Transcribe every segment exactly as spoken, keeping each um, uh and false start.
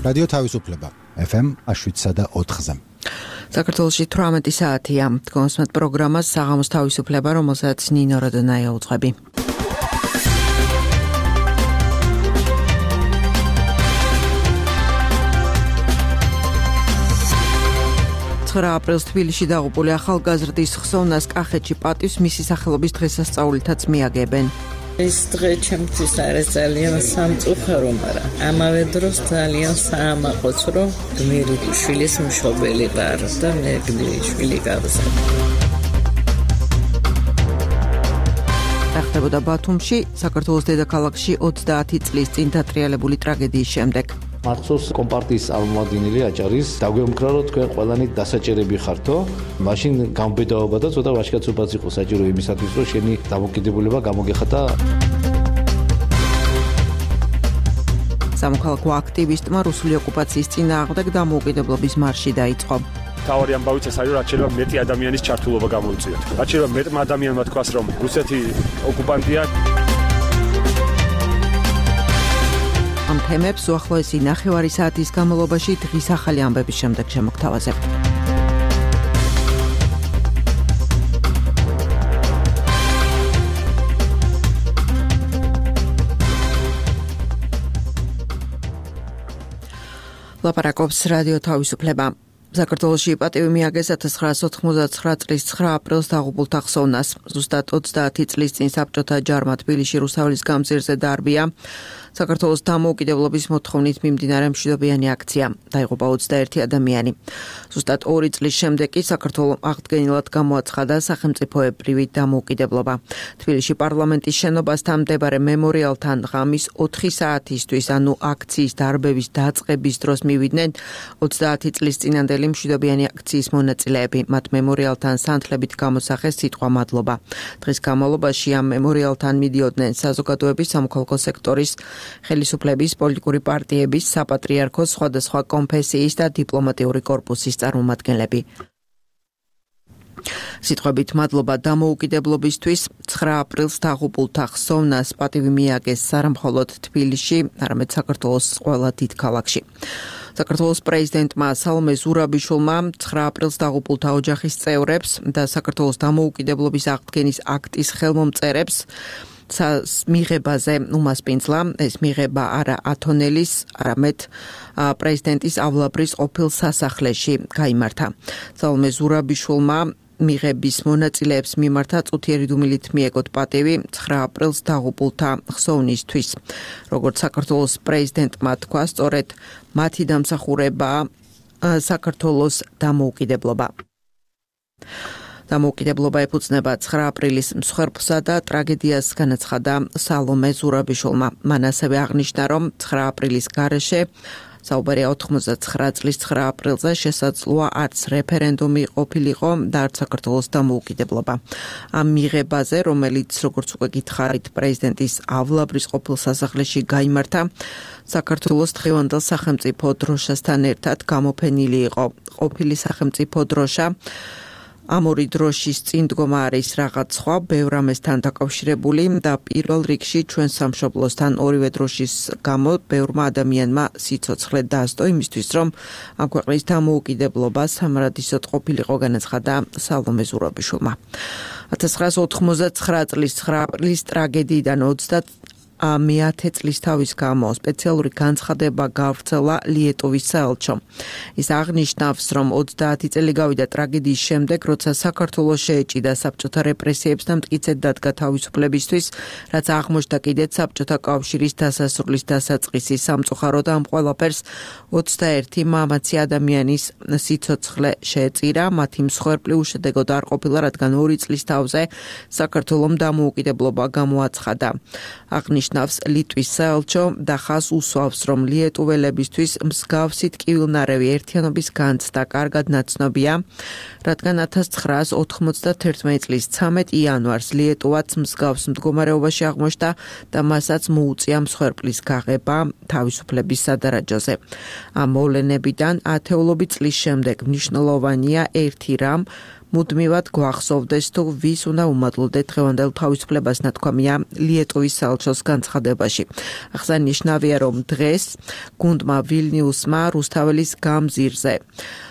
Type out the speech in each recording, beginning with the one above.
რადიო თავისუფლება ეფ ემ შვიდსა და ოთხზე. საქართველოში თვრამეტი საათია. დგომსმეთ პროგრამას საღამოს თავისუფლება, რომელსაც ნინო როდონაია უძღვები. ცხრა აპრილს თბილისში დაღუპული ახალგაზრდის ხსოვნას კახეთში პატივს მისი სახელობის დღესასწაულითაც მიაგებენ. ეს დღე ჩემთვის არის ძალიან სამწუხარო, მაგრამ ამავე დროს ძალიან საამაყოც, რომ გმირი შვილის მშობელი ვარ და მე გმირი შვილი გავზარდე. ხდებოდა ბათუმში, საქართველოს დედაქალაქში ოცდაათი წლის წინ დატრიალებული ტრაგედიის შემდეგ. მართლაც კომპარტიის წარმომადგენელი აჭარის დაგვემკრა, რომ თქვენ ყველანი დასაჭერები ხართო, მაშინ გამბედაობა და ცოტა ვაჟკაცობაც იყო საჭირო იმისათვის, რომ შენი დამოკიდებულება გამოგეხატა. სამოქალაქო აქტივისტმა რუსული ოკუპაციის წინააღმდეგ დამოუკიდებლობის მარში დაიწყო. თავარი ამბავიც ეს არის, რაც შეიძლება მეტი ადამიანის ჩართულობა გამოიწვიოთ. რაც შეიძლება მეტმა ადამიანმა თქვას, რომ რუსეთი ოკუპანტია. ამ თემებს უახლოესი ნახევარი საათის განმავლობაში დღის ახალი ამბების შემდეგ შემოგთავაზებთ. ლაპარაკობს რადიო თავისუფლება. საქართველოში პატივი მიაგეს ათას ცხრაასი ოთხმოცდაცხრა წლის ცხრა აპრილს დაღუპულთა ხსოვნას. ზუსტად ოცდაათი წლის წინ საბჭოთა ჯარმა თბილისში რუსთაველის გამზირზე დაარბია. საქართველოს დამოუკიდებლობის მოთხოვნით მიმდინარე მშვიდობიანი აქცია. დაიღუპა ოცდაერთი ადამიანი. ზუსტად ორი წლის შემდეგ კი საქართველოს აღდგენილად გამოაცხადა სახელმწიფოებრივი დამოუკიდებლობა. თბილისში პარლამენტის შენობასთან მდებარე მემორიალთან ღამის ოთხი საათისთვის, ანუ აქციის დარბევის დაწყების დროს მივიდნენ ოცდაათი წლის წინანდელი მშვიდობიანი აქციის მონაწილეები. მათ მემორიალთან სანთლებით გამოსახეს სიტყვა მადლობა. დღის განმავლობაში ამ მემორიალთან მიდიოდნენ საზოგადოების, სამოქალაქო სექტორის, ხელისუფლების, პოლიტიკური პარტიების, საპატრიარქოს, სხვადასხვა კონფესიის და დიპლომატიური კორპუსის წარმომადგენლები. სიტყვებით მადლობა დამოუკიდებლობისთვის ცხრა აპრილს დაღუპულთა ხსოვნას პატივი მიაგეს არა მხოლოდ თბილისში, არამედ საქართველოს ყველა დიდ ქალაქში. საქართველოს პრეზიდენტმა სალომე ზურაბიშვილმა ცხრა აპრილს დაღუპულთა ოჯახის წევრებს და საქართველოს დამოუკიდებლობის აღდგენის აქტის ხელმომწერებს მიღებაზე უმასპინძლა. ეს მიღება არა ათონელის, არამედ პრეზიდენტის ავლაბრის ყოფილ სასახლეში გაიმართა. სალომე ზურაბიშვილმა მიღების მონაწილეებს მიმართა წუთიერი დუმილით მიეგოთ პატივი ცხრა აპრილს დაღუპულთა ხსოვნისთვის. როგორც საქართველოს პრეზიდენტმა თქვა, სწორედ მათი დამსახურებაა საქართველოს დამოუკიდებლობა. დამოუკიდებლობა ეფუძნება ცხრა აპრილის მსხვერპლსა და ტრაგედიას, განაცხადა სალომე ზურაბიშვილმა. მან ასევე აღნიშნა, რომ ცხრა აპრილის გარეშე საუბარია ოთხმოცდაცხრა წლის ცხრა აპრილზე შესაძლოა არც რეფერენდუმი ყოფილიყო და არც საქართველოს დამოუკიდებლობა. ამ მიღებაზე, რომელიც როგორც უკვე გითხარით, პრეზიდენტის ავლაბრის ყოფილ სასახლეში გაიმართა, საქართველოს დღევანდელ სახელმწიფო დროშასთან ერთად გამოფენილი იყო ყოფილი სახელმწიფო დროშა. ამ ორი დროშის წინ დგომა არის რაღაც სხვა, ბევრ ამასთან დაკავშირებული და პირველ რიგში ჩვენ სამშობლოსთან ორივე დროშის გამო ბევრმა ადამიანმა სიცოცხლე დასდო იმისთვის, რომ ამ ქვეყნის დამოუკიდებლობა სამარადისოდ ყოფილიყო, განაცხადა სალომე ზურაბიშვილმა. ათას ცხრაასი ოთხმოცდაცხრა წლის ცხრა აპრილის ტრაგედიიდან მეათე წლის თავის გამო სპეციალური განცხადება გავრცელა ლიეტოვის საელჩომ. ის აღნიშნავს, რომ ოცდაათი წელი გავიდა ტრაგედიის შემდეგ, როცა საქართველოს შეეჭიდა საბჭოთა რეპრესიებს და მტკიცედ დადგა თავისუფლებისთვის, რაც აღმოჩნდა კიდეც საბჭოთა კავშირის დასასრულის დასაწყისი. სამწუხაროდ ამ ყველაფერს ოცდაერთი მამაცი ადამიანის სიცოცხლე შეეწირა. მათი მსხვერპლი უშედეგოდ არ ყოფილა, რადგან ორი წლის თავზე საქართველომ დამოუკიდებლობა გამოაცხადა. აღნიშნავს ლიტვის საელჩო და ხაზს უსვავს, რომ ლიეტუველებისთვის მსგავსი ტკივილნარევი ერთიანობის განცდა კარგად ნაცნობია, რადგან ათას ცხრაასი ოთხმოცდათერთმეტი წლის ცამეტ იანვარს ლიეტუვაც მსგავს მდგომარეობაში აღმოჩნდა და მასაც მოუწია მსხვერპლის გაღება თავისუფლების სადარაჯოზე. ამ მოვლენებიდან ათეულობით წლის შემდეგ მნიშვნელოვანია ერთი რამ, მუდმივად გვახსოვდეს თუ ვის უნდა უმადლოდეთ დღევანდელ თავისუფლებას ნათქვამია ლიეტუვის საელჩოს განცხადებაში. აღსანიშნავია, რომ დღეს გუნდმა ვილნიუსმა რუსთაველის გამზირზე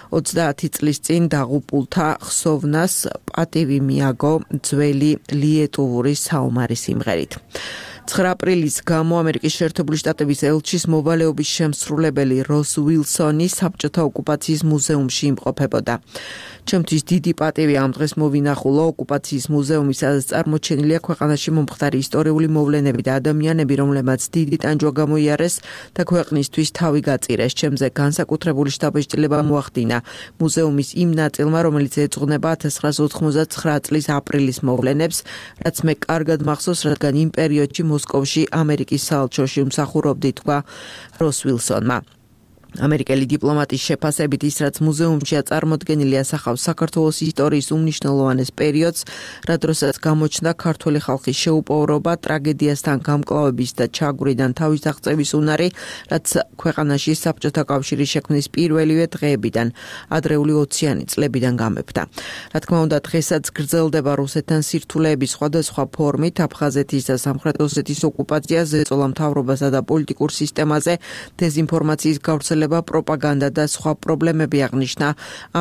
ოცდაათი წლის წინ დაღუპულთა ხსოვნას პატივი მიაგო ძველი ლიეტუვური საომარი სიმღერით. ცხრა აპრილის გამო ამერიკის შეერთებული შტატების ელჩის მოვალეობის შემსრულებელი როს უილსონი საბჭოთა ოკუპაციის მუზეუმში იმყოფებოდა. ჩემთვის დიდი პატივი ამ დღეს მოვინახულო ოკუპაციის მუზეუმი, სადაც წარმოჩენილია ქვეყანაში მომხდარი ისტორიული მოვლენები და ადამიანები, რომლებმაც დიდი ტანჯვა გამოიარეს და ქვეყნისთვის თავი გაწირეს. ჩემზე განსაკუთრებული შთაბეჭდილება მოახდინა მუზეუმის იმ ნაწილმა, რომელიც ეძღვნება ათას ცხრაას ოთხმოცდათცხრა წლის აპრილის მოვლენებს, რაც მე კარგად მახსოვს, რადგან იმ პერიოდში მოსკოვში ამერიკის საელჩოში ვმსახურობდი, თქვა როს უილსონმა. ამერიკელი დიპლომატის შეფასებით ის, რაც მუზეუმშია წარმოდგენილი, ასახავს საქართველოს ისტორიის უმნიშვნელოვანეს პერიოდს, რა დროსაც გამოჩნდა ქართული ხალხის შეუპოვრობა, ტრაგედიასთან გამკლავების და ჩაგვრიდან თავის აღწევის უნარი, რაც ქვეყანაში საბჭოთა კავშირის შექმნის პირველივე დღეებიდან, ადრეული ოციანი წლებიდან გამეფდა. რა თქმა უნდა, დღესაც გრძელდება რუსეთთან სირთულეების სხვადასხვა ფორმით, აფხაზეთის და სამხრეთ ოსეთის ოკუპაცია, ზეწოლა მთავრობასა და პოლიტიკურ სისტემაზე, დეზინფორმაციის გავრცელება, პროპაგანდა და სხვა პრობლემები აღნიშნა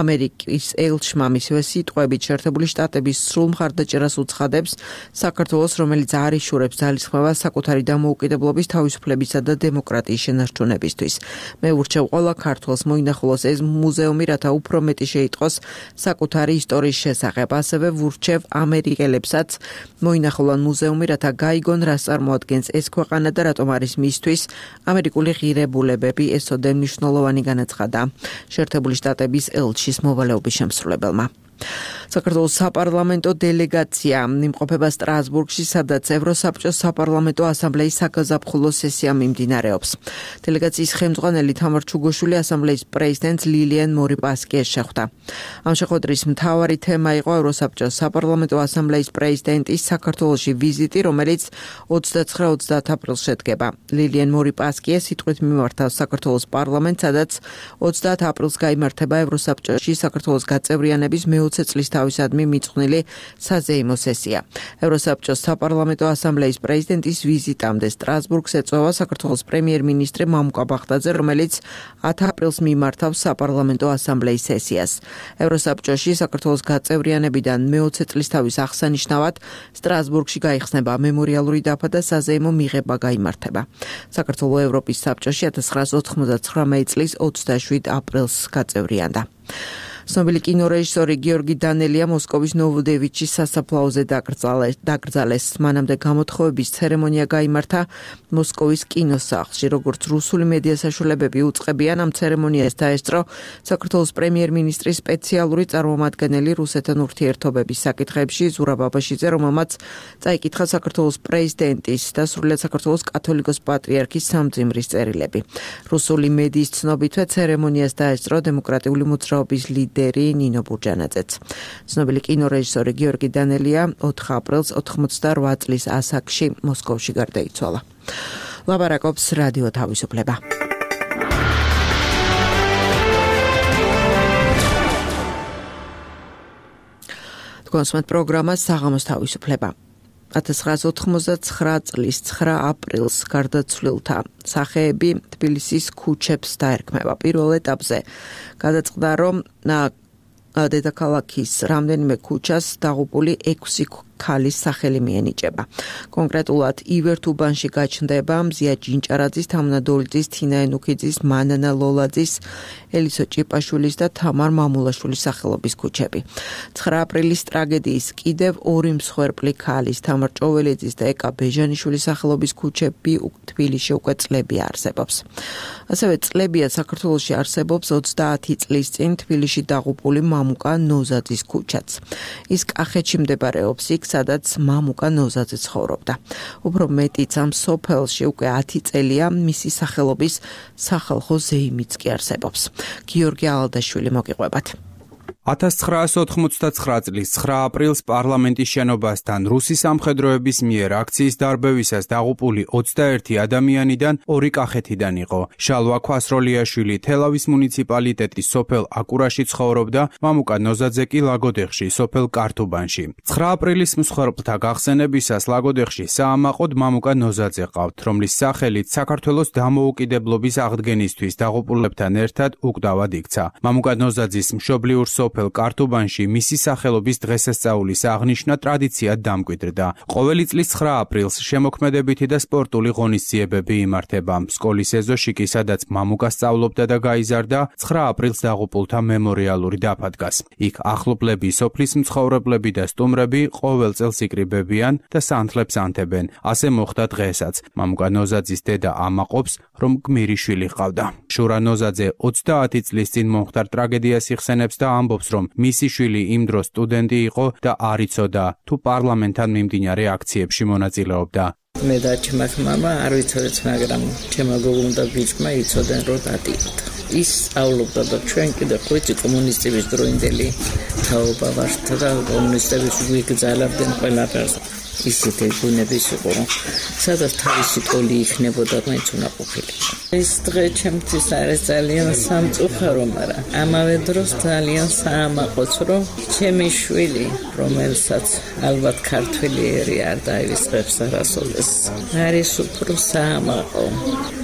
ამერიკის ელჩმა. მისივე სიტყვებით, შეერთებული შტატების სრულ მხარდაჭერას უცხადებს საქართველოს, რომელიც არ იშურებს ძალისხმევას საკუთარი დამოუკიდებლობის, თავისუფლებისა და დემოკრატიის შენარჩუნებისთვის. მე ვურჩევ ყველა ქართველს მოინახულოს ეს მუზეუმი, რათა უფრო მეტი შეიტყოს საკუთარი ისტორიის შესახებ. ასევე ვურჩევ ამერიკელებსაც მოინახულონ მუზეუმი, რათა გაიგონ, რას წარმოადგენს ეს ქვეყანა და რატომ არის მისთვის ამერიკული ღირებულებები, ესოდენ მნიშვნელოვანი განაცხადა შეერთებული შტატების ელჩის მოვალეობის შემსრულებელმა. საქართველოს საპარლამენტო დელეგაცია იმყოფება სტრასბურგში, სადაც ევროსაბჭოს საპარლამენტო ასამბლეის საგაზაფხულო სესია მიმდინარეობს. დელეგაციის ხელმძღვანელი თამარ ჩუგოშვილი ასამბლეის პრეზიდენტს ლილიან მორიპასკიეს შეხვდა. ამ შეხვედრის მთავარი თემა იყო ევროსაბჭოს საპარლამენტო ასამბლეის პრეზიდენტის საქართველოში ვიზიტი, რომელიც ოცდაცხრა ოცდაათ აპრილს შედგება. ლილიან მორიპასკიეს სიტყვით მიმართავს საქართველოს პარლამენტს, სადაც ოცდაათ აპრილს გაიმართება ევროსაბჭოში საქართველოს გაწევრიანების მეოცე წლის თავისადმი მიწყვნილი საზეიმო სესია. ევროსაბჭოს საპარლამენტო ასამბლეის პრეზიდენტის ვიზიტამდე სტრასბურგს ეწევა საქართველოს პრემიერ-მინისტრი მამუკა ბახტაძე, რომელიც ათი აპრილს მიმართავს საპარლამენტო ასამბლეის სესიას. ევროსაბჭოში საქართველოს გაწევრიანებიდან მეოცე წლის თავის აღსანიშნავად სტრასბურგში გაიხსნება მემორიალური დაფა და საზეიმო მიღება გაიმართება. საქართველოს ევროპის საბჭოში ათას ცხრაას ოთხმოცდათცხრამეტი წლის ოცდაშვიდ აპრილს გაწევრიანდა. ცნობილი კინორეჟისორი გიორგი დანელია მოსკოვის ნოვოდევიჩის სასაფლაოზე დაკრძალეს. მანამდე გამოთხოვების ცერემონია გაიმართა მოსკოვის კინოსახლში. როგორც რუსული მედია საშუალებები უწყებიან, ამ ცერემონიას დაესწრო საქართველოს პრემიერ-მინისტრის სპეციალური წარმომადგენელი რუსეთთან ურთიერთობების საკითხებში ზურაბ აბაშიძე, რომელმაც წაიკითხა საქართველოს პრეზიდენტის და სრულიად საქართველოს კათოლიკოს პატრიარქის სამძიმრის წერილები. რუსული მედიის ცნობითვე ცერემონიას დაესწრო დემოკრატიული მოძრაობის ლიდერი ნინო ბურჯანაძეც. ცნობილი კინორეჟისორი გიორგი დანელია ოთხი აპრილს ოთხმოცდარვა წლის ასაკში მოსკოვში გარდაიცვალა. ლაბარაკობს რადიო თავისუფლება. თქვენს პროგრამა საღამოს თავისუფლება. ათას ცხრაას ოთხმოცდათცხრა წლის ცხრა აპრილს გარდაცვლილთა სახეები თბილისის ქუჩებს დაერქმევა. პირველ ეტაპზე გადაწყდა, რომ დედაქალაქის რამდენიმე ქუჩას დაღუპული ექვსი ქალის სახელი მიენიჭება. კონკრეტულად ივერტუბანში გაჩნდება მზია ჯინჭარაძის, თამნა დოლიძის, თინა ენუქიძის, მანანა ლოლაძის, ელისო ჭიპაშვილის და თამარ მამულაშვილის სახელობის ქუჩები. ცხრა აპრილის ტრაგედიის კიდევ ორი მსხვერპლი ქალის, თამარ ჭოველიძის და ეკა ბეჟანიშვილის სახელობის ქუჩები თბილისში უკვე წლებია არსებობს. ასევე წლებია საქართველოში არსებობს ოცდაათი წლის წინ თბილისში დაღუპული მამუკა ნოზაძის ქუჩაც. ის კახეთში მდებარეობს, იქ სადაც მამუკა ნოზაძე ცხოვრობდა. უფრო მეტიც ამ სოფელში უკვე ათი წელია მისი სახელობის სახალხო ზეიმიც კი არსებობს. გიორგი ალადაშვილი მოგიყვებათ. ათას ცხრაასი ოთხმოცდაცხრა წლის ცხრა აპრილს პარლამენტის შენობასთან რუსი სამხედროების მიერ აქციის დარბევისას დაღუპული ოცდაერთი ადამიანიდან ორი კახეთიდან იყო. შალვა ქვასროლიაშვილი თელავის მუნიციპალიტეტის სოფელ აკურაში ცხოვრობდა, მამუკა ნოზაძე კი ლაგოდეხში, სოფელ კართუბანში. ცხრა აპრილის მსხვერპლთა გახსენებისას ლაგოდეხში საამაყოდ მამუკა ნოზაძე ყავთ, რომლის სახელით საქართველოს დამოუკიდებლობის აღდგენისთვის დაღუპულებთან ერთად უკდავად იქცა. მამუკა ნოზაძის მშობლიურ სოფელ კართუბანში მისი სახელობის დღესასწაულის აღნიშვნა ტრადიციად დამკვიდრდა. ყოველი წლის ცხრა აპრილს შემოქმედებითი და სპორტული ღონისძიებები იმართება. სკოლის ეზოში კი, სადაც მამუკა სწავლობდა და გაიზარდა, ცხრა აპრილს დაღუპულთა მემორიალური დაფა დგას. იქ ახლობლები, სოფლის მცხოვრებლები და სტუმრები ყოველ წელს იკრიბებიან და სანთლებს ანთებენ. ასე მოხდა დღესაც. მამუკა ნოზაძის დედა ამაყობს, რომ გმირი შვილი ჰყავდა. შურა ნოზაძე ოცდაათი წლის წინ მომხდარ ტრაგედიას იხსენებს და ამბობს, რომ მისი შვილი იმ დროს სტუდენტი იყო და არ იცოდა თუ პარლამენტთან მიმდინარე აქციებში მონაწილეობდა. მე და ჩემი მამა არ ვიცოდეთ, მაგრამ ჩემო გოგომ და ბიჭმა იცოდნენ, რომ დადიოდა. ის სწავლობდა და ჩვენ კიდე ხუთი კომუნისტების დროინდელი თაობა ვართ და კომუნისტები გვიგზავნებდნენ ყველაფერს. ისეთი ბუნების იყო, სადაც თავისი ტოლი იქნებოდა, მაინც უნდა ყოფილიყო. ეს დღე ჩემთვის არის ძალიან სამწუხარო, მაგრამ ამავე დროს ძალიან საამაყოც, რომ ჩემი შვილი, რომელსაც ალბათ ქართველი ერი არ დაივიწყებს არასოდეს, არის უფრო საამაყო.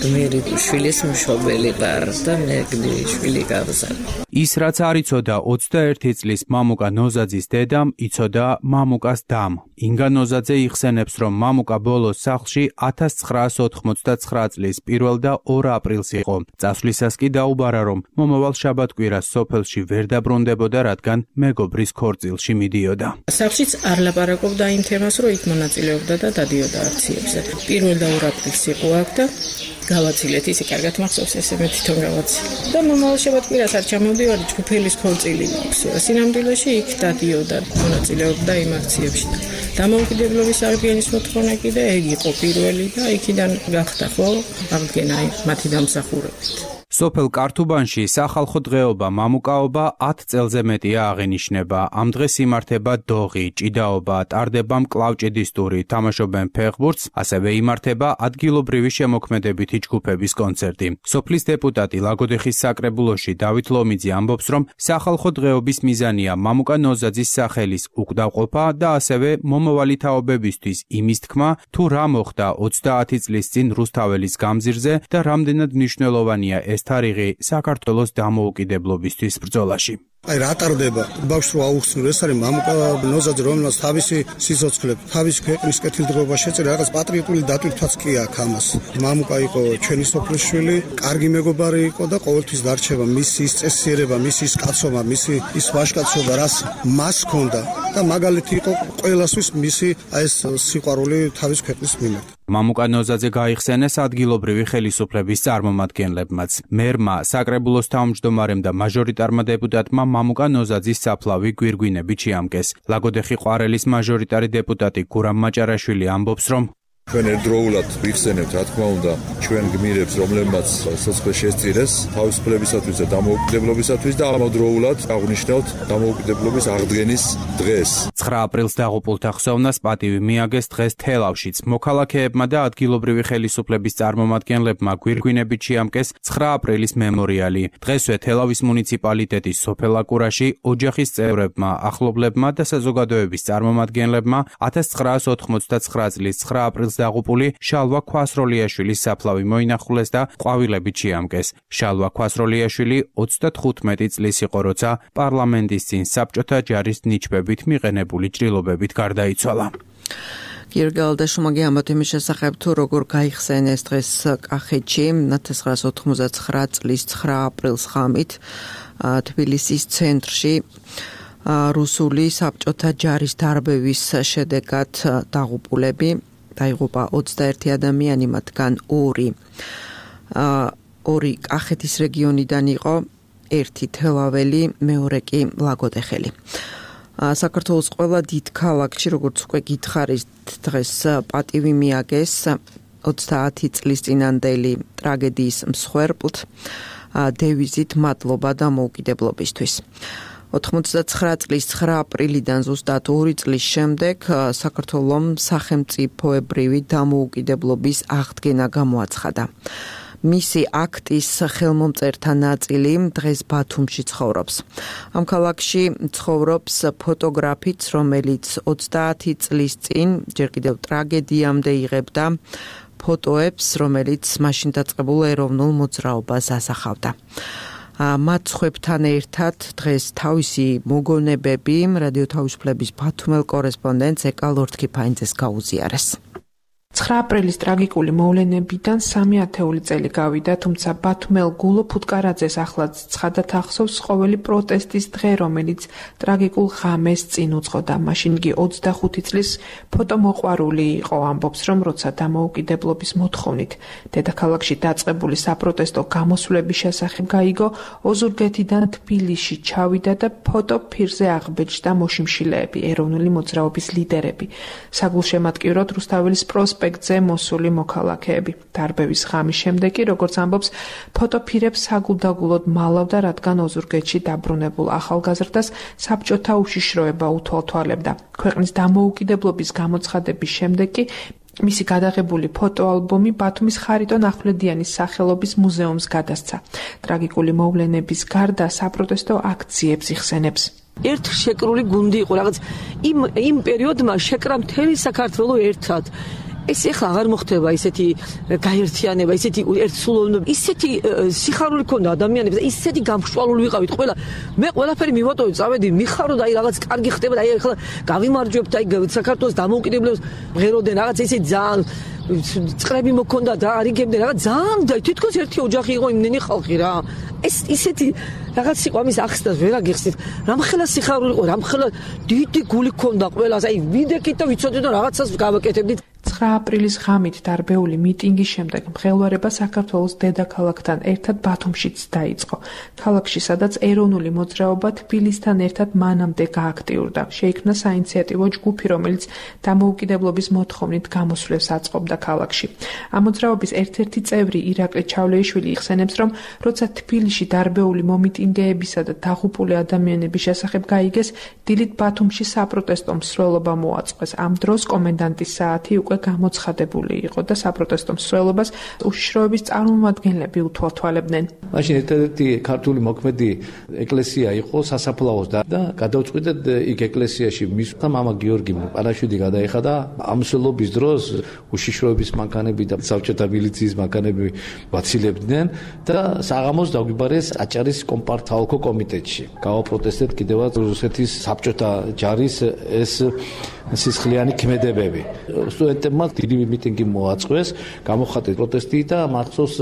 გმირი შვილის მშობელი ვარ და მე გმირი შვილი გავზარდა. ის რაც არ იცოდა ოცდაერთი წლის მამუკა ნოზაძის დედამ, იცოდა მამუკას დამ. ინგა ნოზაძე იხსენებს, რომ მამუკა ბოლოს სახლში ათას ცხრაასი ოთხმოცდაცხრა წლის პირველ და ორ აპრილს იყო. წასვლისას კი დაუბარა, რომ მომავალ შაბათ-კვირას სოფელში ვერ დაბრუნდებოდა, რადგან მეგობრის ქორწილში მიდიოდა. სახლშიც არ ლაპარაკობდა იმ თემას, რომ იქ მონაწილეობდა და დადიოდა აქციებზე. პირველ და ორ აპრილს იყო აქ და გავაცილეთ, ისე კარგად მახსოვს, ესე მე თვითონ გავაცილე. და მომავალ შაბათ-კვირას არ ჩამოვდივარი, ჯგუფელის ქორწილი მაქვს. სინამდვილეში იქ დადიოდა, მონაწილეობდა იმ აქციებში. დამოუკიდებლობის აღდგენის მოთხოვნა კიდე ეგ იყო პირველი და იქიდან გახდა ხო აღდგენა მათი დამსახურებით. სოფელ კართუბანში სახალხო დღეობა მამუკაობა ათ წელზე მეტია აღინიშნება. ამ დღეს იმართება დოღი, ჭიდაობა, ტარდება მკლავჭიდის ტური, თამაშობენ ფეხბურთს, ასევე იმართება ადგილობრივი შემოქმედებითი ჯგუფების კონცერტი. სოფლის დეპუტატი ლაგოდეხის საკრებულოში დავით ლომიძე ამბობს, რომ სახალხო დღეობის მიზანია მამუკა ნოზაძის სახელის უკდავყოფა და ასევე მომავალი თაობებისთვის იმის თქმა, თუ რა მოხდა ოცდაათი წლის წინ რუსთაველის გამზირზე და რამდენად მნიშვნელოვანია ეს თარიღი საქართველოს დამოუკიდებლობისთვის ბრძოლაში. აი რა ტარდება ბავშვს რო აუხსნილ, ეს არის მამუკა ნოზაძე, რომელსაც თავისი სიცოცხლე, თავისი ქვეყნის კეთილდღეობა შეწირა, რაღაც პატრიოტული დატვირთვაც კი აქვს ამას. მამუკა იყო ჩვენი სოფლის შვილი, კარგი მეგობარი იყო და ყოველთვის დარჩება მისი ის წესიერება, მისი ის კაცობა, მისი ის ვაჟკაცობა, რაც მას ჰქონდა და მაგალითი იყო ყველასთვის მისი აი ეს სიყვარული თავის ქვეყნის მიმართ. მამუკა ნოზაძე გაიხსენეს ადგილობრივი ხელისუფლების წარმომადგენლებმაც. მერმა, საკრებულოს თავმჯდომარემ და მაჟორიტარმა დეპუტატმა მამუკა ნოზაძის საფლავი გვირგვინებით შეამკეს. ლაგოდეხი ყვარელის მაჟორიტარი დეპუტატი გურამ მაჭარაშვილი ამბობს, რომ ჩვენ ერთდროულად ვიხსენებთ, რა თქმა უნდა, ჩვენ გმირებს, რომლებმაც სოცხლე შესწირეს თავისუფლებისათვის და დამოუკიდებლობისათვის და ამავდროულად აღნიშნავთ დამოუკიდებლობის აღდგენის დღეს. ცხრა აპრილს დაღუპულთა ხსოვნას პატივი მიაგეს დღეს თელავშიც. მოქალაქეებმა და ადგილობრივი ხელისუფლების წარმომადგენლებმა გვირგვინებით შეამკეს ცხრა აპრილის მემორიალი. დღესვე თელავის მუნიციპალიტეტის სოფელ აკურაში ოჯახის წევრებმა, ახლობლებმა და საზოგადოების წარმომადგენლებმა ათას ცხრაასი ოთხმოცდაცხრა წლის ცხრა აპრილს დაღუპული შალვა ქვასროლიაშვილის საფლავი მოინახულეს და ყვავილებით შეამკეს. შალვა ქვასროლიაშვილი ოცდათხუთმეტი წლის იყო, როცა პარლამენტის წინ საბჭოთა ჯარის ნიჩბებით მიყენებული ჭრილობებით გარდაიცვალა. გირგალდა შუმაგი ამბობთ იმის შესახებ, თუ როგორ გაიხსენეს დღეს კახეთში ათას ცხრაასი ოთხმოცდაცხრა წლის ცხრა აპრილს ღამით თბილისის ცენტრში რუსული საბჭოთა ჯარის დარბევის შედეგად დაღუპულები დაიღუპა ოცდაერთი ადამიანი, მათგან ორი ორი კახეთის რეგიონიდან იყო, ერთი თელაველი, მეორე კი ლაგოდეხელი. საქართველოს ყველა დიდ ქალაქში, როგორც უკვე გითხარით, დღეს პატივი მიაგეს ოცდაათი წლის წინანდელი ტრაგედიის მსხვერპლთ დევიზით მადლობა დამოუკიდებლობისთვის. ოთხმოცდაცხრა წლის ცხრა აპრილიდან ზუსტად ორი წლის შემდეგ საქართველომ სახელმწიფოებრივი დამოუკიდებლობის აღდგენა გამოაცხადა. მისი აქტის ხელმომწერთა ნაწილი დღეს ბათუმში ცხოვრობს. ამ ქალაქში ცხოვრობს ფოტოგრაფიც, რომელიც ოცდაათი წლის წინ ჯერ კიდევ ტრაგედიამდე იღებდა ფოტოებს, რომელიც მაშინ დაწყებულ ეროვნულ მოძრაობას ასახავდა. მათ ხვებთან ერთად დღეს თავისი მოგონებები რადიო თავისუფლების ბათუმელ კორესპონდენტს ეკალ ორთქიფაინძეს გაუზიარეს. ცხრა აპრილის ტრაგიკული მოვლენებიდან სამი ათეული წელი გავიდა, თუმცა ბათუმელ გულო ფუტკარაძეს ახლაც ცხადად ახსოვს ყოველი პროტესტის დღე, რომელიც ტრაგიკულ ღამეს წინ უძღოდა. მაშინ იგი ოცდახუთი წლის ფოტომოყვარული იყო, ამბობს, რომ როცა დამოუკიდებლობის მოთხოვნით დედაქალაქში დაწყებული საპროტესტო გამოსვლების შესახებ გაიგო, ოზურგეთიდან თბილისში ჩავიდა და ფოტო ფირზე აღბეჭდა მოშიმშილეები, ეროვნული მოძრაობის ლიდერები. საგულშემატკივროდ რუსთაველის პროსპექტ ზე მოსული მოქალაქეები. დარბევის ღამის შემდეგ კი, როგორც ამბობს, ფოტოფირებს საგულდაგულოდ მალავდა, რადგან ოზურგეთში დაბრუნებულ ახალგაზრდას საბჭოთა უშიშროება უთვალთვალებდა. ქვეყნის დამოუკიდებლობის გამოცხადების შემდეგ კი მისი გადაღებული ფოტოალბომი ბათუმის ხარიტონ ახვლედიანის სახელობის მუზეუმს გადასცა. ტრაგიკული მოვლენების გარდა საპროტესტო აქციებს იხსენებს. ერთ შეკრული გუნდი იყო, რაღაც იმ იმ პერიოდმა შეკრა მთელი საქართველო ერთად. ეს ეხლა აღარ მოხდება ისეთი გაერთიანება, ისეთი ერთსულოვნება, ისეთი სიხარული ქონდა ადამიანებს და ისეთი გამშვალული ვიყავით ყველა. მე ყველაფერი მივატოვე, წავედი, მიხარო და აი რაღაც კარგი ხდება და აი ახლა გავიმარჯვებთ აი საქართველოს დამოუკიდებლობას ღეროდენ რაღაც ისეთი ძალიან წრები მოქონდა და არიგებდნენ რაღაც ძალიან და თითქოს ერთი ოჯახი იყო იმნენი ხალხი რა. ეს ისეთი რაღაც იყო ამის ახსნას ვერ აგიხსნით. რამხელა სიხარული იყო, რამხელა დიდი გული ქონდა ყველას. აი ვიდექით და ვიცოდეთ და რაღაცას გავაკეთებდით. ცხრა აპრილის ღამით დარბეული მიტინგის შემდეგ მღელვარება საქართველოს დედაქალაქთან ერთად ბათუმშიც დაიწყო. ქალაქში, სადაც ეროვნული მოძრაობა თბილისთან ერთად მანამდე გააქტიურდა. შეიქმნა საინიციატივო ჯგუფი, რომელიც დამოუკიდებლობის მოთხოვნით გამოსვლებს აწყობდა ქალაქში. ამ მოძრაობის ერთ-ერთი წევრი ირაკლი ჩავლეიშვილი იხსენებს, რომ როცა თბილისში დარბეული მომიტინგეებისა და დაღუპული ადამიანების შესახებ გაიგეს, დილით ბათუმში საპროტესტო მსვლელობა მოაწყვეს. ამ დროს კომენდანტის საათი უკვე გამოცხადებული იყო და საპროტესტო მსვლელობას უშიშროების წარმომადგენლები უთვალთვალებდნენ. მაშინ ერთ-ერთი ქართული მოქმედი ეკლესია იყო სასაფლაოს და გადავწყვიტეთ იქ ეკლესიაში მისვლა მამა გიორგი პანაშვიდი გადაიხადა. ამ მსვლელობის დროს უშიშროების მანქანები და საბჭოთა მილიციის მანქანები ვაცილებდნენ და საღამოს დაგვიბარეს აჭარის კომპარტთაოლქო კომიტეტში. გავაპროტესტეთ კიდევაც რუსეთის საბჭოთა ჯარის ეს სისხლიანი ქმედებები. სტუდენტებმა დიდი მიტინგი მოაწყვეს, გამოხატეს პროტესტი და მახსოვს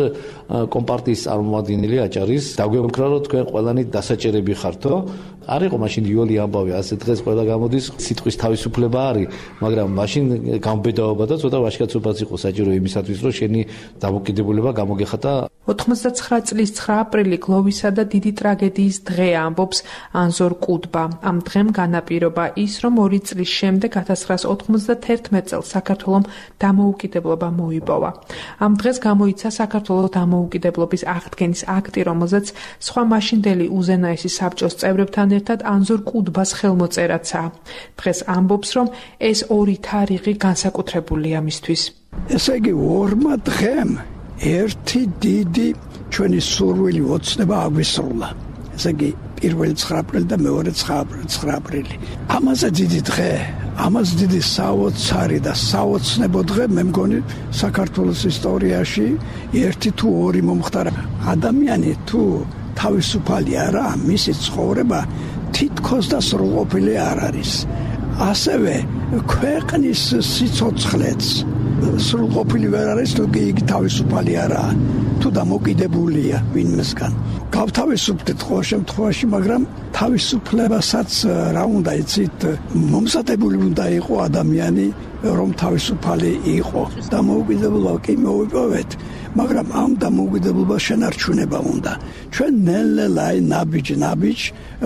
კომპარტიის წარმომადგენელი აჭარის დაგვემქრა, რომ თქვენ ყველანი დასაჭერები ხართო. არ იყო მაშინ იოლი ამბავი, ასე დღეს ყველა გამოდის სიტყვის თავისუფლება არის, მაგრამ მაშინ გამბედაობა და ცოტა ვაჟკაცობაც იყო საჭირო იმისათვის, რომ შენი დამოუკიდებლობა გამოგეხატა. ოთხმოცდაცხრა წლის ცხრა აპრილი გლოვისა და დიდი ტრაგედიის დღეა, ამბობს ანზორ კუდბა. ამ დღემ განაპირობა ის, რომ ორი წლის შემდეგ ათასცხრაას ოთხმოცდათერთმეტ წელს საქართველომ დამოუკიდებლობა მოიპოვა. ამ დღეს გამოიცა საქართველოს დამოუკიდებლობის აღდგენის აქტი, რომელზეც სხვა მაშინდელი უზენაესი საბჭოს წევრებთან ერთად ანზორ კუდბას ხელმოწერაცაა. დღეს ამბობს, რომ ეს ორი თარიღი განსაკუთრებულია მისთვის. ესე იგი, ორმა დღემ ერთი დიდი ჩვენი სურვილი ოცნება აგვისრულა. ესე იგი, პირველი ცხრა აპრილი და მეორე ცხრა აპრილი. ამაზე დიდი დღე, ამას დიდი საოცარი და საოცნებო დღე მე მგონი საქართველოს ისტორიაში ერთი თუ ორი მომხდარა. ადამიანი თუ თავისუფალი არა, მისი ცხოვრება თითქოს და სრულყოფილი არ არის. ასევე ქვეყნის სიცოცხლეც სრულყოფილი ვერ არის, თუ იგი თავისუფალი არაა, თუ დამოკიდებულია ვინმესგან. გავთავისუფლდით ყოველ შემთხვევაში, მაგრამ თავისუფლებასაც რა უნდა იცით, მომზადებული უნდა იყო ადამიანი, რომ თავისუფალი იყო. დამოუკიდებლობა კი მოვიპოვეთ, მაგრამ ამ დამოუკიდებლობას შენარჩუნება უნდა. ჩვენ ნელ-ნელა ნაბიჯ-ნაბიჯ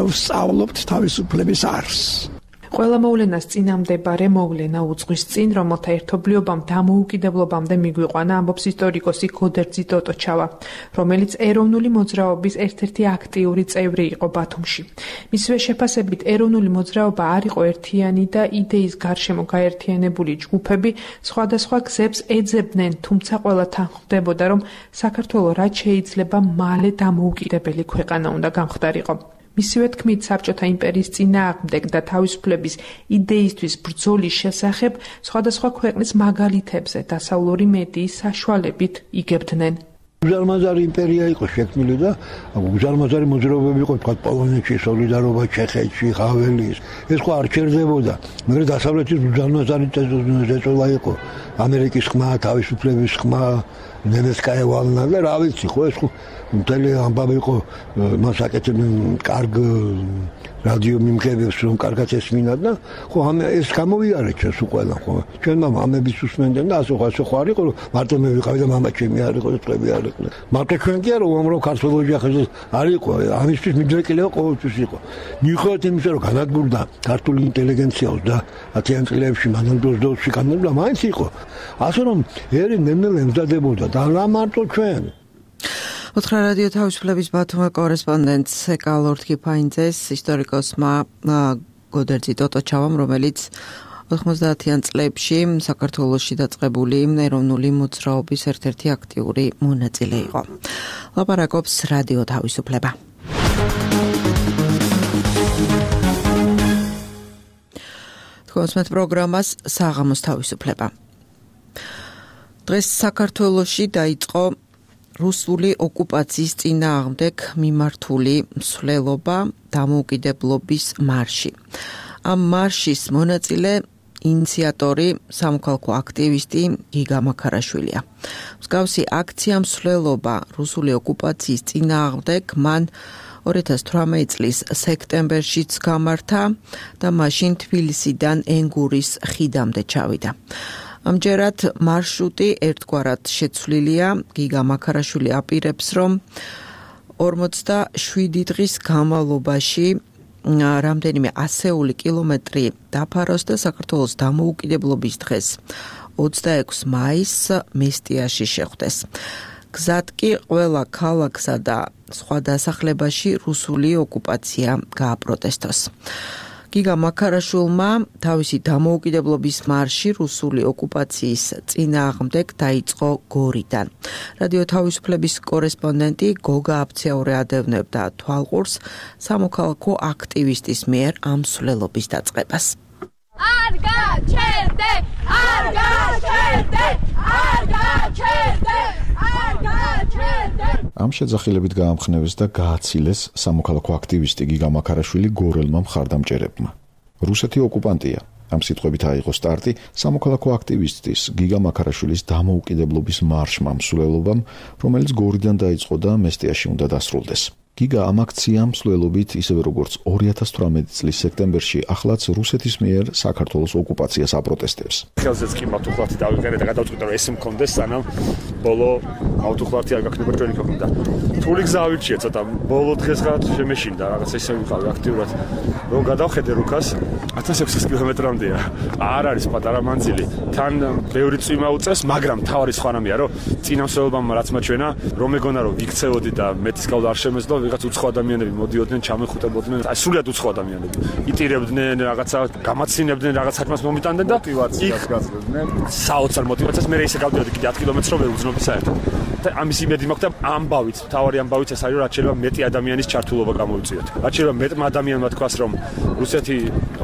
ვსწავლობთ თავისუფლების არსს. ყველა მოვლენას წინამდებარე მოვლენა უძღვის წინ, რომელთა ერთობლიობამ დამოუკიდებლობამდე მიგვიყვანა, ამბობს ისტორიკოსი გოდერძი ტოტოჩავა, რომელიც ეროვნული მოძრაობის ერთ-ერთი აქტიური წევრი იყო ბათუმში. მისივე შეფასებით, ეროვნული მოძრაობა არ იყო ერთიანი და იდეის გარშემო გაერთიანებული ჯგუფები სხვადასხვა გზებს ეძებდნენ, თუმცა ყველათან ხვდებოდა, რომ საქართველო რაც შეიძლება მალე დამოუკიდებელი ქვეყანა უნდა გამხდარიყო. მისივე თქმით, საბჭოთა იმპერიის წინააღმდეგ და თავისუფლების იდეისთვის ბრძოლის შესახებ სხვადასხვა ქვეყნის მაგალითებზე დასავლური მედიის საშუალებით იგებდნენ. უზარმაზარი იმპერია იყო შექმნილი და უზარმაზარი მოძრაობები იყო, თქვა პოლონეთში, სოლიდარობა, ჩეხეთში, ხაველის. ეს ხო არ ჩერდებოდა, მაგრამ დასავლეთის უზარმაზარი წესწოლა იყო. ამერიკის ხმა, თავისუფლების ხმა, ნემეცკაია ვალნა და რა ვიცი, ხო ეს ხო მთელი ამბავი იყო, მას აკეთებდნენ კარგ რადიო მიმღებებს, რომ კარგად ესმინათ და ხო ეს გამოვიარეთ ჩვენს უყველა, ხო ჩვენ მამა ამების უსმენდნენ და ასე ხო ასე ხო არ იყო, რომ მარტო მე ვიყავი და მამა ჩემი არ იყო და წლები არ იყო. მარტო ჩვენ კი არა, უამრავ ქართველ ოჯახებზე არ იყო, ამისთვის მიდრეკილება ყოველთვის იყო. მიუხედავად იმისა, რომ განადგურდა ქართული ინტელიგენცია ოცდაათიან წლებში, მანამდე ოცდაოთხში განადგურდა, მაინც იყო. ასე რომ ერი ნელ-ნელა ემზადებოდა და რა მარტო ჩვენ. ოთხრა რადიო თავისუფლების ბათუმის კორესპონდენტს ეკალორდ კიფაინძეს, ისტორიკოსმა გოდერძი ტოტოჩავამ, რომელიც ოთხმოცდაათიან წლებში საქართველოში დაწყებული ეროვნული მოძრაობის ერთ-ერთი აქტიური მონაწილე იყო. ლაპარაკობს რადიო თავისუფლება. თქვენს პროგრამას საღამოს თავისუფლება. დღეს საქართველოში დაიწყო რუსული ოკუპაციის წინააღმდეგ მიმართული მსვლელობა დამოუკიდებლობის მარში. ამ მარშის მონაწილე ინიციატორი სამოქალაქო აქტივისტი გიგა მაქარაშვილია. მსგავსი აქცია მსვლელობა რუსული ოკუპაციის წინააღმდეგ მან ორი ათას თვრამეტი წლის სექტემბერშიც გამართა და მაშინ თბილისიდან ენგურის ხიდამდე ჩავიდა. ამჯერად მარშრუტი ერთგვარად შეცვლილია. გიგა მაქარაშვილი აპირებს, რომ ორმოცდაშვიდი დღის განმავლობაში რამდენიმე ასეული კილომეტრი დაფაროს და საქართველოს დამოუკიდებლობის დღეს ოცდაექვსი მაისს მესტიაში შეხვდეს. გზად კი ყველა ქალაქსა და სხვა დასახლებაში რუსული ოკუპაცია გააპროტესტოს. გიგა მაქარაშვილმა თავისი დამოუკიდებლობის მარში რუსული ოკუპაციის წინააღმდეგ დაიწყო გორიდან. რადიო თავისუფლების კორესპონდენტი გოგა აფციაური ადევნებდა თვალყურს სამოქალაქო აქტივისტის მიერ ამ მსვლელობის დაწყებას. არ გაჩერდე, არ გაჩერდე, არ გაჩერდე, არ გაჩერდე. ამ შეძახილებით გაამხნევეს და გააცილეს სამოქალაქო აქტივისტი გიგა მაქარაშვილი გორელმა მხარდამჭერებმა. რუსეთი ოკუპანტია. ამ სიტყვებით აიღო სტარტი სამოქალაქო აქტივისტის გიგა მაქარაშვილის დამოუკიდებლობის მარშმა მსვლელობამ, რომელიც გორიდან დაიწყო და მესტიაში უნდა დასრულდეს. გიგა ამ აქციამ მსვლელობით, ისევე როგორც ორი ათას თვრამეტი წლის სექტემბერში, ახლაც რუსეთის მიერ საქართველოს ოკუპაციას აპროტესტებს. ხელზეც კი მავთუხლათი დავიყერე და გადავწყვიტე, რომ ეს მქონდეს, სანამ ბოლო მავთუხლათი არ გაქნება ჩვენი ქვეყნიდან. რთული გზა ავირჩიე ცოტა, ბოლო დღესღაც შემეშინდა, რაღაცა ისე ვიყავი აქტიურად, რომ გადავხედე რუკას ათას ექვსი კილომეტრამდეა. არ არის პატარა მანძილი. თან ბევრი წვიმა უწევს, მაგრამ თავარი სხვა რამეა, რომ წინა მსვლელობამ რაც მაჩვენა, რომ მეგონა რომ ვიქცეოდი და მეტის გავდა არ შემეძლო, ვიღაც უცხო ადამიანები მოდიოდნენ, ჩამეხუტებოდნენ, აი სულიად უცხო ადამიანები. იტირებდნენ, რაღაცა გამაცინებდნენ, რაღაც საქმეს მომიტანდნენ და მოტივაციას გაძლევდნენ. საოცარ მოტივაციას მე ისე გავდიოდი კიდე ათ კილომეტრს რომ ვერ უძნობი საერთოდ. და ამის იმედი მაქვს და ამბავით, თავარი ამბავით ეს არის, რაც შეიძლება მეტი ადამიანის ჩართულობა გამოვიწიოთ. რაც შეიძლება მეტ ადამიანმა თქვას, რომ რუსეთი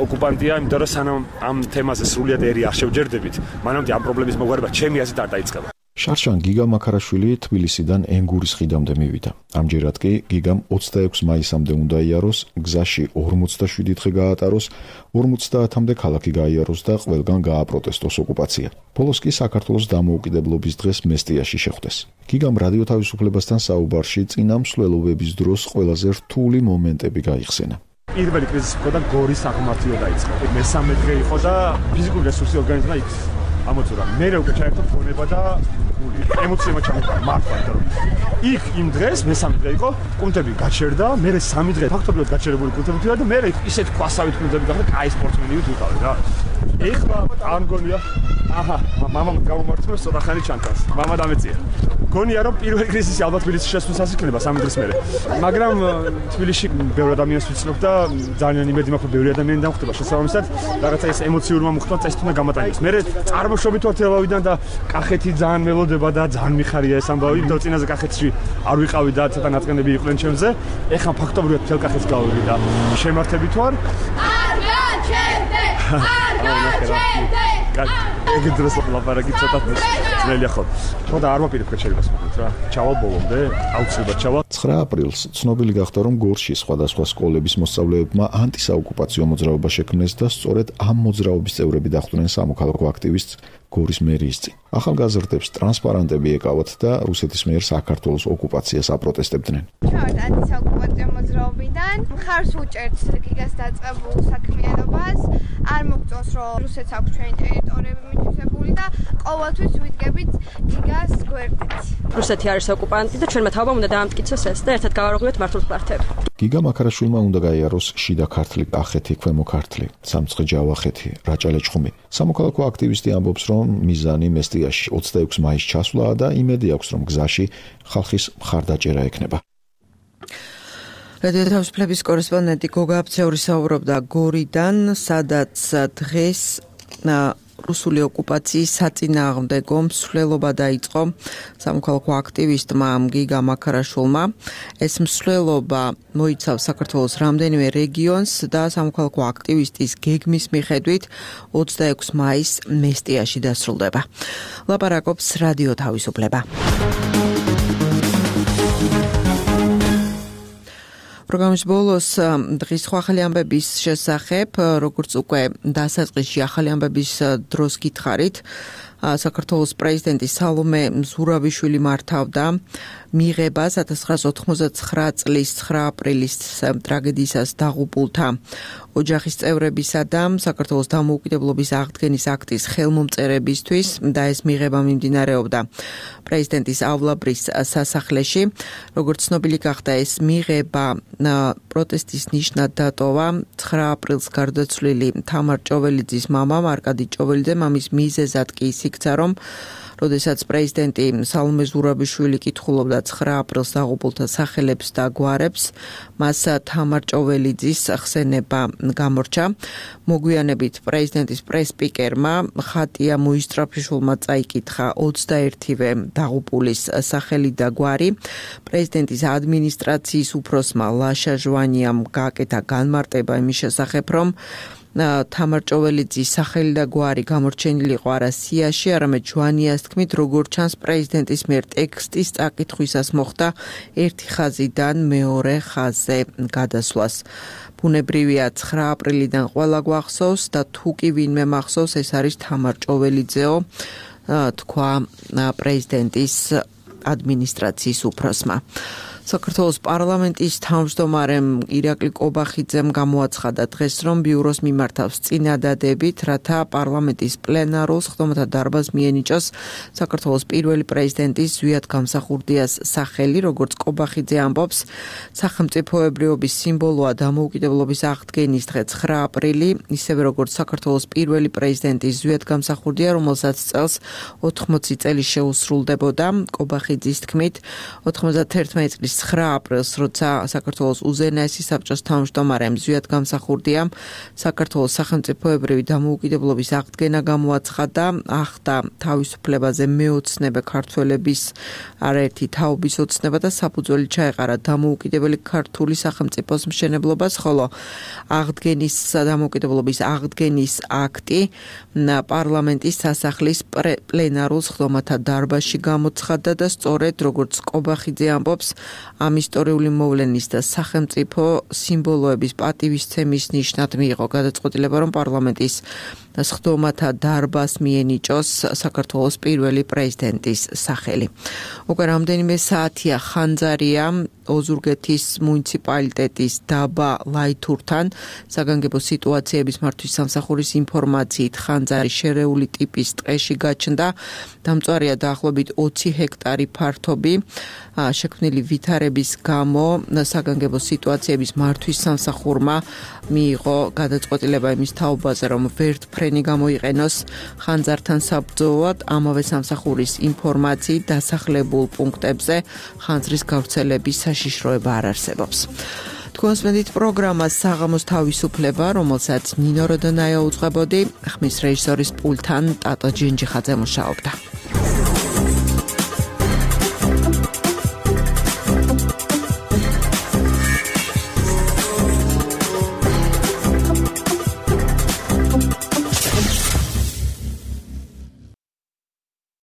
ოკუპანტია, იმიტომ რომ სანამ ამ თემაზე სრულიად ერი არ შევჯერდებით, მანამდე ამ პრობლემის მოგვარება ჩემი აზრით არ დაიწყება. შარშან გიგა მაქარაშვილი თბილისიდან ენგურის ხიდამდე მივიდა. ამჯერად კი გიგამ ოცდაექვსი მაისამდე უნდა იაროს, გზაში ორმოცდაშვიდი დღე გაატაროს, ორმოცდაათამდე ქალაქი გაიაროს და ყველგან გააპროტესტოს ოკუპაცია. ბოლოს კი საქართველოს დამოუკიდებლობის დღეს მესტიაში შეხვდეს. გიგამ რადიო თავისუფლებასთან საუბარში წინა მსვლელობების დროს ყველაზე რთული მომენტები გაიხსენა. პირველი კრიზისი იყო და გორის აღმართიო დაიწყო. მესამე დღე იყო და ფიზიკური რესურსი ორგანიზმმა იქ ამოწურა. მე უკვე ჩაერთო ფონება და გული. ემოციებმა ჩამოყარა მართლა, იმიტომ რომ იქ იმ დღეს მესამე დღე იყო, კუნთები გაჩერდა, მე სამი დღე ფაქტობრივად გაჩერებული კუნთები ვიყავ და მე ისეთ ქვასავით კუნთები გახდა, კაი სპორტსმენივით ვიყავ რა. ეხლა არ მგონია. აჰა, მამამ გამომართმევ სოდახანი ჩანთას. მამა დამეწია. გონია რომ პირველი კრიზისი ალბათ თბილისში შესვლისას იქნება სამი დღის მერე. მაგრამ თბილისში ბევრი ადამიანს ვიცნობ და ძალიან იმედი მაქვს რომ ბევრი ადამიანი დამხვდება შესაბამისად რაღაცა ეს ემოციურმა მოხდა წესით უნდა გამატანოს. მე წარმოშობით ვარ თელავიდან და კახეთი ძალიან მელოდება და ძალიან მიხარია ეს ამბავი. და წინაზე კახეთში არ ვიყავი და ცოტა ნაწყენები იყვნენ ჩემზე. ეხლა ფაქტობრივად თელ კახეთს გავიგე და შემართებით ვარ. არ გაჩერდე! არ გაჩერდე! ეგ დროს ლაპარაკი ცოტა ძნელია ხო. ხო და არ ვაპირებ გაჩერებას მოკლედ რა. ჩავალ ბოლომდე, აუცილებლად ჩავალ. ცხრა აპრილს ცნობილი გახდა რომ გორში სხვადასხვა სკოლების მოსწავლეებმა ანტისაოკუპაციო მოძრაობა შექმნეს და სწორედ ამ მოძრაობის წევრები დახვდნენ სამოქალაქო აქტივისტს გორის მერიის წინ. ახალგაზრდებს ტრანსპარანტები ეკავათ და რუსეთის მიერ საქართველოს ოკუპაციას აპროტესტებდნენ. ჩავართ ანტისაოკუპაციო მოძრაობიდან, მხარს უჭერთ გიგას დაწყებულ საქმიანობას, არ მოგწონს რომ რუსეთს აქვს ჩვენი ტერიტორიები მითვისებული და ყოველთვის ვიდგებით გიგას გვერდით. რუსეთი არის ოკუპანტი და ჩვენმა თავმა უნდა დაამტკიცოს ეს და ერთად გავარღვიოთ მართულ ფართები. გიგა მაქარაშვილმა უნდა გაიაროს შიდა ქართლი, კახეთი, ქვემო ქართლი, სამცხე ჯავახეთი, რაჭა-ლეჩხუმი. სამოქალაქო აქტივისტი ამბობს, რომ მიზანი მესტიაში ოცდაექვსი მაისს ჩასვლაა და იმედი აქვს, რომ გზაში ხალხის მხარდაჭერა ექნება. რადიო თავისუფლების კორესპონდენტი გოგა აბცეული საუბრობდა გორიდან, სადაც დღეს რუსული ოკუპაციის საწინააღმდეგო მსვლელობა დაიწყო სამოქალაქო აქტივისტმა გიგა მაქარაშვილმა. ეს მსვლელობა მოიცავს საქართველოს რამდენიმე რეგიონს და სამოქალაქო აქტივისტის გეგმის მიხედვით ოცდაექვსი მაისს მესტიაში დასრულდება. ლაპარაკობს რადიო თავისუფლება. პროგრამის ბოლოს დღის ახალი ამბების შესახებ, როგორც უკვე დასაწყისში ახალი ამბების დროს გითხარით, საქართველოს პრეზიდენტი სალომე ზურაბიშვილი მართავდა მიღებას ათას ცხრაასი ოთხმოცდაცხრა წლის ცხრა აპრილის ტრაგედიისას დაღუპულთა ოჯახის წევრებისა და საქართველოს დამოუკიდებლობის აღდგენის აქტის ხელმომწერებისთვის და ეს მიღება მიმდინარეობდა პრეზიდენტის ავლაბრის სასახლეში. როგორც ცნობილი გახდა, ეს მიღება პროტესტის ნიშნად დატოვა ცხრა აპრილს გარდაცვლილი თამარ ჭოველიძის მამამ არკადი ჭოველიძემ. ამის მიზეზად კი ის იქცა, რომ როდესაც პრეზიდენტი სალომე ზურაბიშვილი კითხულობდა ცხრა აპრილს დაღუპულთა სახელებს და გვარებს, მას თამარ ჭოველიძის ხსენება გამორჩა. მოგვიანებით პრეზიდენტის პრესპიკერმა ხატია მოისტრაფიშვილმა წაიკითხა ოცდაერთივე დაღუპულის სახელი და გვარი. პრეზიდენტის ადმინისტრაციის უფროსმა ლაშა ჟვანიამ გააკეთა განმარტება იმის შესახებ, რომ თამარ ჭოველიძის სახელი და გვარი გამორჩენილი იყო არა სიაში, არამედ ჟვანიას თქმით, როგორც ჩანს პრეზიდენტის მიერ ტექსტის წაკითხვისას მოხდა ერთი ხაზიდან მეორე ხაზზე გადასვლას. ბუნებრივია ცხრა აპრილიდან ყველა გვახსოვს და თუ კი ვინმე მახსოვს, ეს არის თამარ ჭოველიძეო, თქვა პრეზიდენტის ადმინისტრაციის უფროსმა. საქართველოს პარლამენტის თავმჯდომარემ ირაკლი კობახიძემ გამოაცხადა დღეს, რომ ბიუროს მიმართავს წინადადებით, რათა პარლამენტის პლენარულ სხდომათა დარბაზს მიენიჭოს საქართველოს პირველი პრეზიდენტის ზვიად გამსახურდიას სახელი. როგორც კობახიძე ამბობს, სახელმწიფოებრიობის სიმბოლოა დამოუკიდებლობის აღდგენის დღე ცხრა აპრილი, ისევე როგორც საქართველოს პირველი პრეზიდენტის ზვიად გამსახურდია, რომელსაც წელს ოთხმოცი წელი შეუსრულდებოდა. კობახიძის თქმით, ოთხმოცდაერთმეტი წლის ცხრა აპრილს, როცა საქართველოს უზენაესი საბჭოს თავმჯდომარემ ზვიად გამსახურდია საქართველოს სახელმწიფოებრივი დამოუკიდებლობის აღდგენა გამოაცხადა, ახდა თავისუფლებაზე მეოცნებე ქართველების არაერთი თაობის ოცნება და საფუძველი ჩაეყარა დამოუკიდებელი ქართული სახელმწიფოს მშენებლობას, ხოლო აღდგენის დამოუკიდებლობის აღდგენის აქტი პარლამენტის სასახლის პლენარულ სხდომათა დარბაზში გამოცხადდა და სწორედ როგორც კობახიძე ამბობს, ამ ისტორიული მოვლენის და სახელმწიფო სიმბოლოების პატივისცემის ნიშნად მიიღო გადაწყვეტილება, რომ პარლამენტის სხდომათა დარბაზს მიენიჭოს საქართველოს პირველი პრეზიდენტის სახელი. უკვე რამდენიმე საათია ხანძარია ოზურგეთის მუნიციპალიტეტის დაბა ლაითურთან საგანგებო სიტუაციების მართვის სამსახურის ინფორმაციით ხანძარი შერეული ტიპის ტყეში გაჩნდა. დამწვარია დაახლოებით ოცი ჰექტარი ფართობი. შექმნილი ვითარების გამო საგანგებო სიტუაციების მართვის სამსახურმა მიიღო გადაწყვეტილება იმის თაობაზე, რომ ვერტფრენი გამოიყენოს ხანძართან საბრძოლოდ. ამავე სამსახურის ინფორმაციით დასახლებულ პუნქტებზე ხანძრის გავრცელების საშიშროება არ არსებობს. თქვენს მედით პროგრამას საღამოს თავისუფლება, რომელსაც ნინო როდონაია უძღვებოდი, ხმის რეჟისორის პულთან ტატო ჯინჯიხაძე მუშაობდა.